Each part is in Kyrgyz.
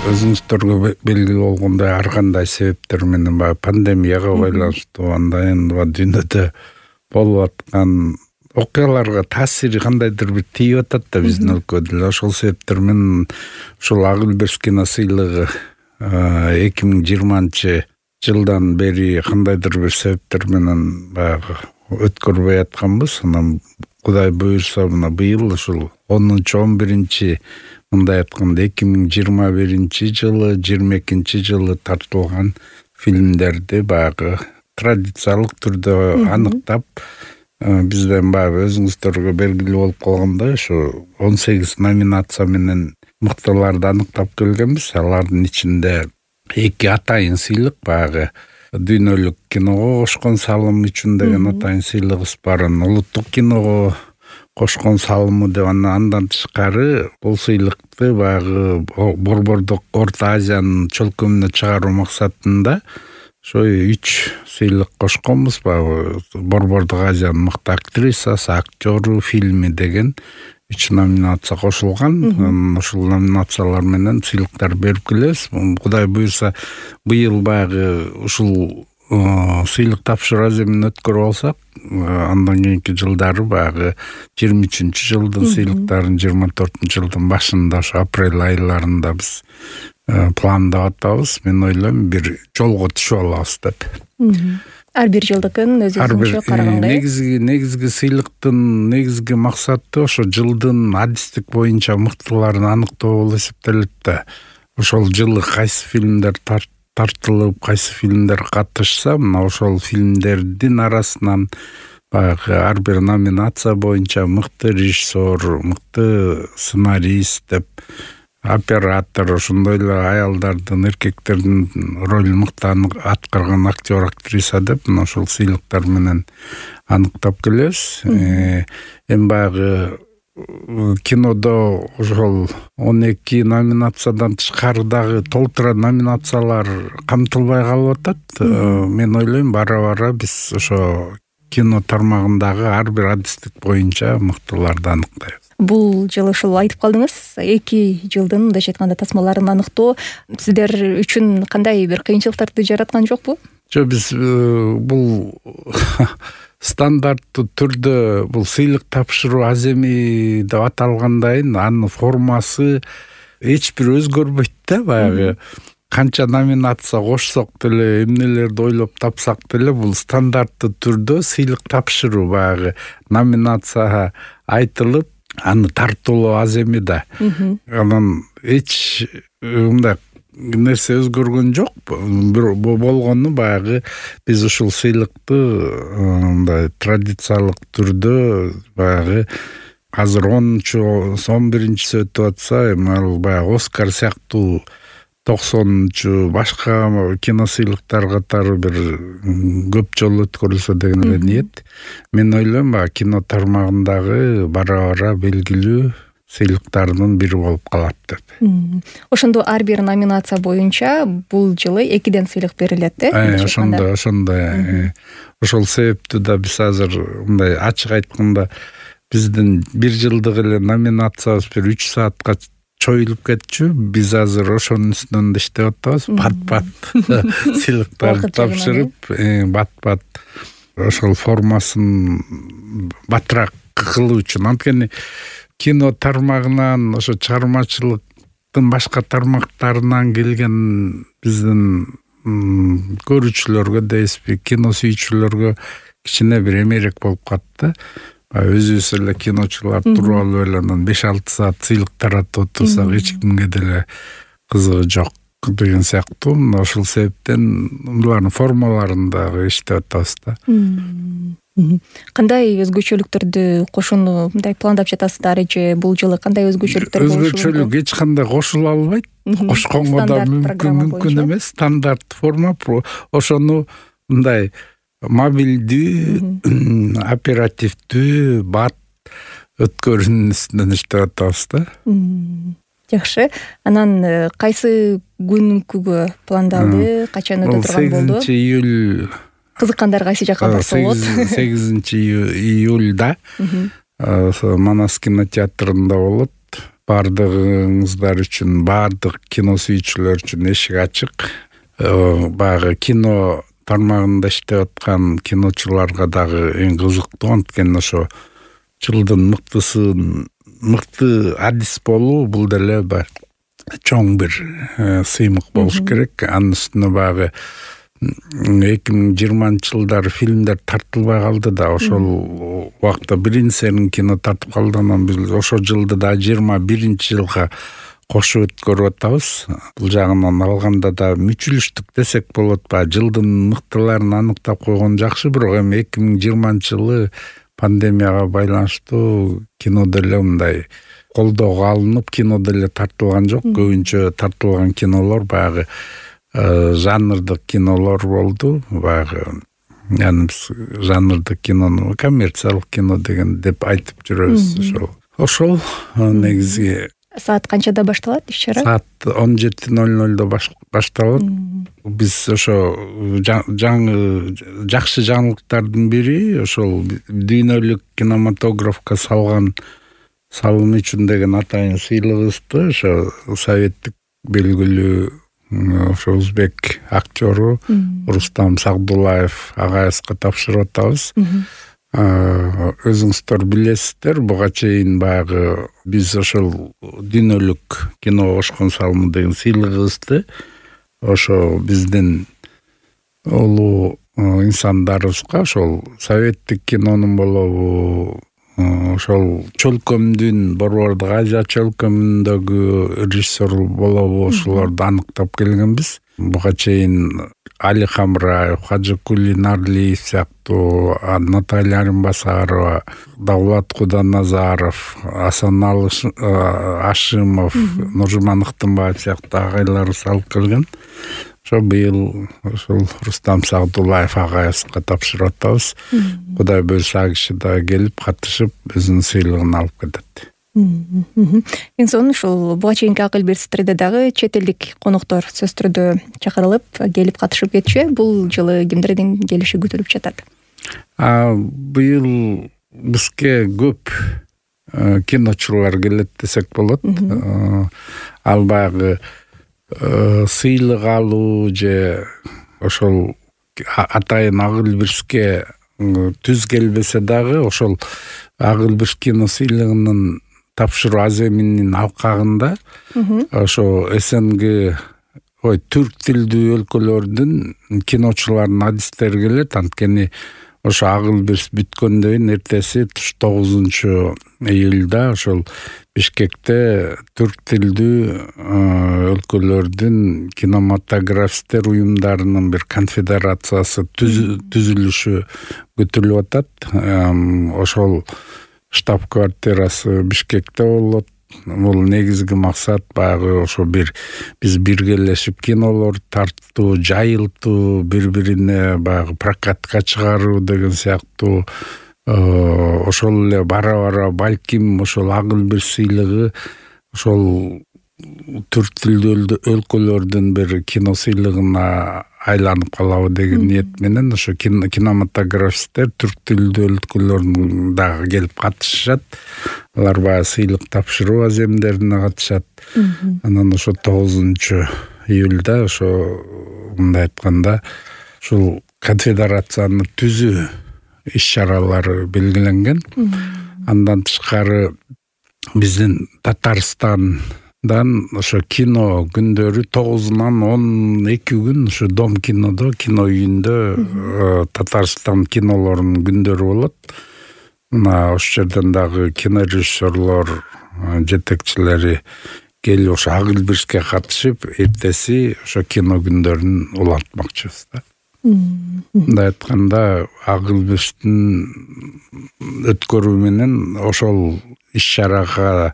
өзүңүздөргө белгилүү болгондой ар кандай себептер менен баягы пандемияга байланыштуу андан дүйнөдө болуп аткан окуяларга таасири кандайдыр бир тийип атат да биздин өлкөдө эле. Ошол себептер менен ушул Ак Үлбүрс кино сыйлыгы 2020 жылдан бери кандайдыр бир себептер менен баягы өткөрбөй атканбыз. Анан Кудай буйрса мына быйыл ушул 10-11 мындай айтканда 2021 жылы 22 жылы тартылган фильмдерди баягы традициялык түрдө аныктап, бизден баягы өзүңүздөргө белгилүү болуп калгандай ушу 18 номинация менен мыктыларды аныктап келгенбиз. Алардын ичинде 2 атайын сыйлык, баягы дүйнөлүк киного кошкон салым үчүн деген атайын сыйлыгыбыз бар. Улуттук киного кошкон салымы деп андан тышкары бул сыйлыкты баягы борбордук Орто Азиянын чөлкөмүнө чыгаруу максатында ошо 3 сыйлык кошконбуз. Баягы борбордук Азиянын мыкты актрисасы, актёру, фильми деген 3 номинация кошулган. Ушул номинациялар менен сыйлыктар берип келебиз. Кудай буйрса быйыл баягы ушул сыйлык тапшыруу аземин өткөрүп алсак, андан кийинки жылдары баягы 23 жылдын сыйлыктарын 24 жылдын башында ошо апрель айларында биз пландап атабыз. Мен ойлойм бир жолго түшүп алабыз деп. Ар бир жылдыкын өзүнчө караганга. Негизги сыйлыктын негизги максаты ошо жылдын адистик боюнча мыктыларын аныктоо болуп эсептелет да. Ошол жылы кайсы фильмдер тартылып, кайсы фильмдер катышса, мына ошол фильмдердин арасынан баягы ар бир номинация боюнча мыкты режиссер, мыкты сценарист деп, оператор, ошондой эле аялдардын, эркектердин ролун мыкты аткарган актер, актриса деп мына ошол сыйлыктар менен аныктап келебиз. Эми баягы кинодо ошол 12 номинациядан тышкары дагы толтура номинациялар камтылбай калып атат. Мен ойлойм бара-бара биз ошо кино тармагындагы ар бир адистик боюнча мыктыларды аныктайбыз. Бул жылы ушул айтып калдыңыз, 2 жылдын мындайча айтканда тасмаларын аныктоо сиздер үчүн кандай бир кыйынчылыктарды жараткан жокпу? Жок, биз бул стандарттуу түрдө бул сыйлык тапшыруу аземи деп аталгандайын, анын формасы эч бир өзгөрбөйт да. Баягы канча номинация кошсок деле, эмнелерди ойлоп тапсак деле бул стандарттуу түрдө сыйлык тапшыруу, баягы номинация айтылып, аны тартуулоо аземи да. Анан эч мындай нерсе өзгөргөн жок. Болгону баягы биз ушул сыйлыкты мындай традициялык түрдө баягы азыр 11-сі өтүп атса, эми баягы Оскар сыяктуу 90-чу башка кино сыйлыктар катары бир көп жолу өткөрүлсө деген эле ниет. Мен ойлойм баягы кино тармагындагы бара-бара белгилүү сыйлыктардын бири болуп калат деп. Ошондо ар бир номинация боюнча бул жылы 2 сыйлык берилет да? Ошондой. Ошол себептүү да биз азыр мындай ачык айтканда биздин 1 жылдык эле номинациябыз бир 3 саатка чоюлуп кетчү. Биз азыр ошонун үстүндө иштеп атабыз. Бат-бат сыйлыктарды тапшырып, бат-бат ошол формасын батыраак кылуу үчүн. Анткени кино тармагынан, ошо чыгармачылыктын башка тармактарынан келген биздин көрүүчүлөргө дейсизби, кино сүйүүчүлөргө кичине бир эмерек болуп катты. Өзүбүз эле киночулар туруп алып эле анан 5-6 саат сыйлык таратып отурсак эч кимге деле кызыгы жок деген сыяктуу. Ошол себептен булардын формаларын дагы иштеп атабыз да. Кандай өзгөчөлүктөрдү кошууну мындай пландап жатасыздар же бул жылы кандай өзгөчөлүктөр болушу мүмкүн? Өзгөчөлүк эч кандай кошула албайт. Кошконго да мүмкүн эмес. Стандарт форма. Ошону мындай мобилдүү, оперативдүү, бат өткөрүүнүн үстүнөн иштеп атабыз да. Жакшы. Анан кайсы күнгө пландалды, качан өтө турган болду? 8 июль. Кызыккандар кайсы жакка барса болот? 8 июльда Манас кинотеатрында болот. Бардыгыңыздар үчүн, бардык кино сүйүүчүлөр үчүн эшик ачык. Баягы кино тармагында иштеп аткан киночуларга дагы эң кызыктуу, анткени ошо жылдын мыкты адис болуу бул деле чоң бир сыймык болуш керек. Анын үстүнө баягы 2020-жылдары фильмдер тартылбай калды да, ошол убакта бир серин кино тартып калды. Анан биз ошо жылды да 21-жылга кошуп өткөрүп атабыз. Бул жагынан алганда да мүчүлүштүк десек болот. Жылдын мыктыларын аныктап койгон жакшы, бирок эми 2020-жылы пандемияга байланыштуу кино деле мындай колдоого алынып, кино деле тартылган жок. Көбүнчө тартылган кинолор баягы жанрдык кинолор болду. Баягы биз жанрдык кинону коммерциялык кино деген деп айтып жүрөбүз. Ошол негизи. Саат канчада башталат иш-чара? Саат 17:00 башталат. Биз ошо жакшы жаңылыктардын бири ошол дүйнөлүк кинематографка салым үчүн деген атайын сыйлыгыбызды ошо советтик белгилүү ошо узбек актёру Рустам Сагдулаев агайыбызга тапшырып атабыз. Өзүңүздөр билесиздер, буга чейин баягы биз ошол дүйнөлүк киного кошкон салымы деген сыйлыгыбызды ошо биздин улуу инсандарыбызга ошол советтик кинонун болобу, ошол чөлкөмдүн Борбордук Азия чөлкөмүндөгү режиссер болобу, ошолорду аныктап келгенбиз. Буга чейин Али Хамраев, Хажыкули Нарлиев сыяктуу, Наталья Арынбасарова, Давлат Куданазаров, Асаналы Ашимов, Нуржуман Ыктымбаев сыяктуу агайларыбыз алып келген. Ошо быйыл ошол Рустам Сагдулаев агайыбызга тапшырып атабыз. Кудай буйрса ал киши да келип катышып өзүнүн сыйлыгын алып кетет. Эң сонун ушул буга чейинки акыл берстерде дагы чет элдик коноктор сөзсүз түрдө чакырылып келип катышып кетчү. Бул жылы кимдердин келиши күтүлүп жатат? Быйыл бизге көп киночулар келет десек болот. Ал баягы сыйлык алуу же ошол атайын Агыл Бирске түз келбесе дагы ошол Агыл Бирс кино сыйлыгынын тапшыруу аземинин алкагында ошо СНГ түрк тилдүү өлкөлөрдүн киночуларынын адистери келет. Анткени ошо Агыл Бирс бүткөндөн кийин эртеси 9-июлда ошол Бишкекте түрк тилдүү өлкөлөрдүн кинематографисттер уюмдарынын бир конфедерациясы түзүлүшү күтүлүп атат. Ошол штаб-квартирасы Бишкекте болот. Бул негизги максат баягы ошо биз биргелешип кинолор тартуу, жайылтуу, бири-бирине баягы прокатка чыгаруу деген сыяктуу. Ошол эле бара-бара балким ошол Агыл Бирс сыйлыгы ошол түрк тилдүү өлкөлөрдүн бир кино сыйлыгына айланып калабы деген ниет менен ошо кинематографисттер түрк тилдүү өлкөлөрдөн дагы келип катышышат. Алар баягы сыйлык тапшыруу аземдерине катышат. Анан ошо 9-июлда ошо мындай айтканда ушул конфедерацияны түзүү иш-чаралары белгиленген. Андан тышкары биздин Татарстандан ошо кино күндөрү 9-нан 12 күн ошо Дом кинодо, кино үйүндө Татарстан кинолорунун күндөрү болот. Мына ошол жерден дагы кинорежиссерлор жетекчилери келип ошо Агыл Бирске катышып, эртеси ошо кино күндөрүн улантмакчыбыз да. Мындай айтканда Агыл Бирстин өткөрүү менен ошол иш-чарага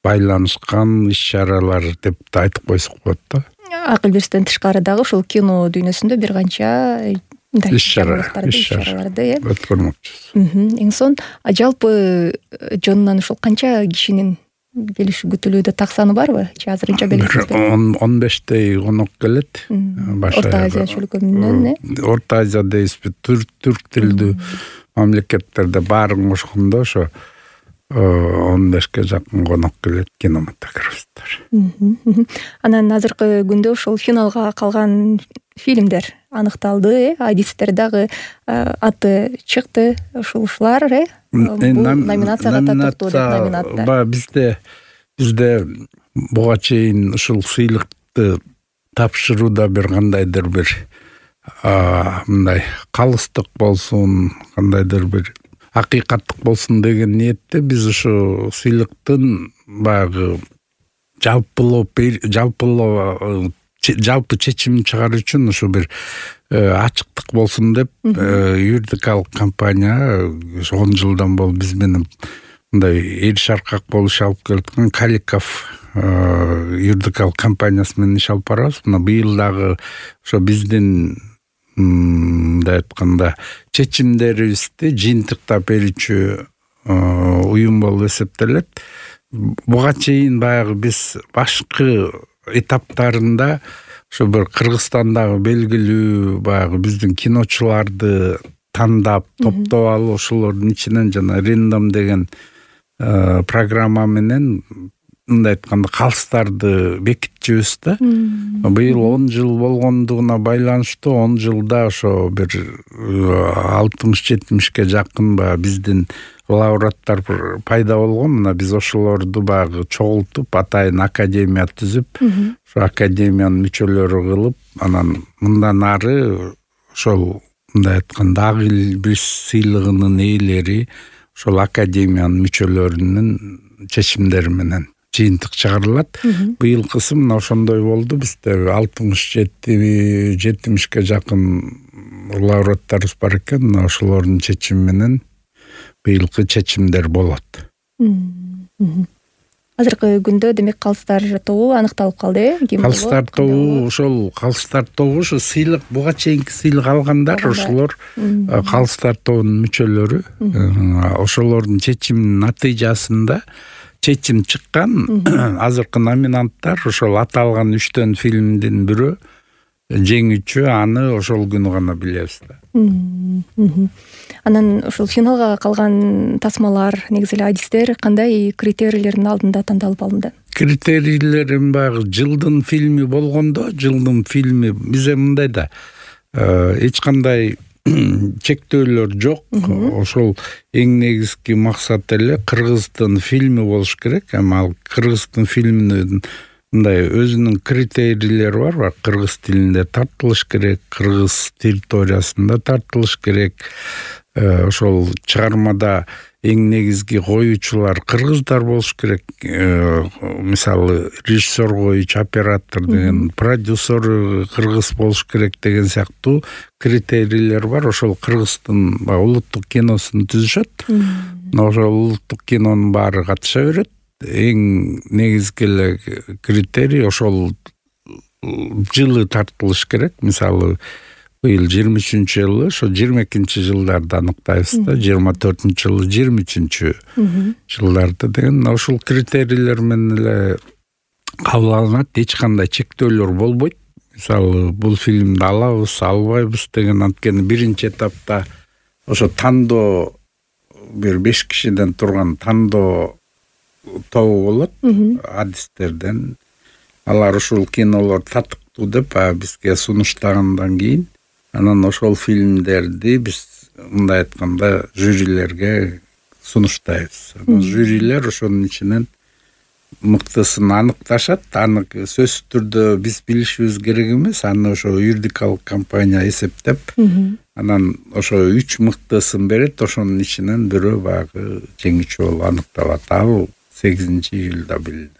байланышкан иш-чаралар деп айтып койсок болот да. Агыл Бирстен тышкары дагы ушул кино дүйнөсүндө бир канча иш-чараларды өткөрмөкчүбүз. Эң сонун. Жалпы жонунан ушул канча кишинин келиши күтүлүүдө, так саны барбы? Же азырынча белгисиз? 15 конок келет. Орто Азия чөлкөмүнөн, Орто Азия дейбизби, түрк тилдүү мамлекеттерде баарын кошкондо ошо 15 жакын конок келет кинематографисттер. Анан азыркы күндө ушул финалга калган фильмдер аныкталды, адистер дагы аты чыкты. Ушулар номинацияга тартылды деп номинатта. Бизде буга чейин ушул сыйлыкты тапшырууда бир кандайдыр бир мындай калыстык болсун, кандайдыр бир акыйкаттык болсун деген ниетте биз ушу сыйлыктын баягы жалпы чечим чыгаруу үчүн ушу бир ачыктык болсун деп юридикалык компания 10 жылдан болуп биз менен мындай эр шаркак болуш алып келаткан Каликов юридикалык компаниясы менен иш алып барабыз. Мына быйыл дагы ошо биздин мындай айтканда чечимдерибизди жыйынтыктап берүүчү уюм болуп эсептелет. Буга чейин баягы биз башкы этаптарында ошо бир Кыргызстандагы белгилүү баягы биздин киночуларды тандап, топтоп алып, ошолордун ичинен жана рандом деген программа менен мындай айтканда калыстарды бекитчүбүз да. Быйыл 10 жыл болгондугуна байланыштуу 10 жылда ошо бир 60-70ке жакын биздин лауреаттар пайда болгон. Мына биз ошолорду баягы чогултуп, атайын академия түзүп, ошо академиянын мүчөлөрү кылып, анан мындан ары ошол мындай айтканда ак эл биз сыйлыгынын ээлери ошол академиянын мүчөлөрүнүн чечимдери менен жыйынтык чыгарылат. Быйылкысы мына ошондой болду. Бизде 60-70ке жакын лауреаттарыбыз бар экен. Мына ошолордун чечими менен быйылкы чечимдер болот. Азыркы күндө демек калыстар тобу аныкталып калды. Калыстар тобу ошол калыстар тобу ушу сыйлык буга чейинки сыйлык алгандар ошолор калыстар тобунун мүчөлөрү. Ошолордун чечиминин натыйжасында чечим чыккан. Азыркы номинанттар ошол аталган 3 фильмдин бирөө жеңүүчү, аны ошол күнү гана билебиз да. Анан ушул финалга калган тасмалар, негизи эле адистер кандай критерийлердин алдында тандалып алынды? Критерийлерин баягы жылдын фильми болгондо, жылдын фильми бизде мындай да эч кандай чектөөлөр жок. Ошол эң негизги максат эле кыргыздын фильми болуш керек. Ал кыргыздын фильминин мындай өзүнүн критерийлери бар. Кыргыз тилинде тартылыш керек, кыргыз территориясында тартылыш керек. Ошол чыгармада эң негизги коюучулар кыргыздар болуш керек. Мисалы режиссер коюучу, оператор деген, продюсер кыргыз болуш керек деген сыяктуу критерийлер бар. Ошол кыргыздын улуттук киносун түзүшөт. Ошол улуттук кинонун баары катыша берет. Эң негизги эле критерий ошол жылы тартылыш керек. Мисалы быйыл 23-жылы, ошо 22-жылдарда аныктайбыз да, 24-жылы, 23-жылдарда деген ошол критерийлер менен эле кабыл алынат. Эч кандай чектөөлөр болбойт. Мисалы бул фильмди алабыз, албайбыз деген, анткени биринчи этапта ошо тандоо бир 5 кишиден турган тандоо тобу болот адистерден. Алар ушул кинолор татыктуу деп бизге сунуштагандан кийин анан ошол фильмдерди биз мындай айтканда жюрилерге сунуштайбыз. Жюрилер ошонун ичинен мыктысын аныкташат. Аны сөзсүз түрдө биз билишибиз керек эмес. Аны ошо юридикалык компания эсептеп, анан ошо 3 мыктысын берет. Ошонун ичинен бирөө баягы жеңүүчү болуп аныкталат. Ал 8-июлда билинет.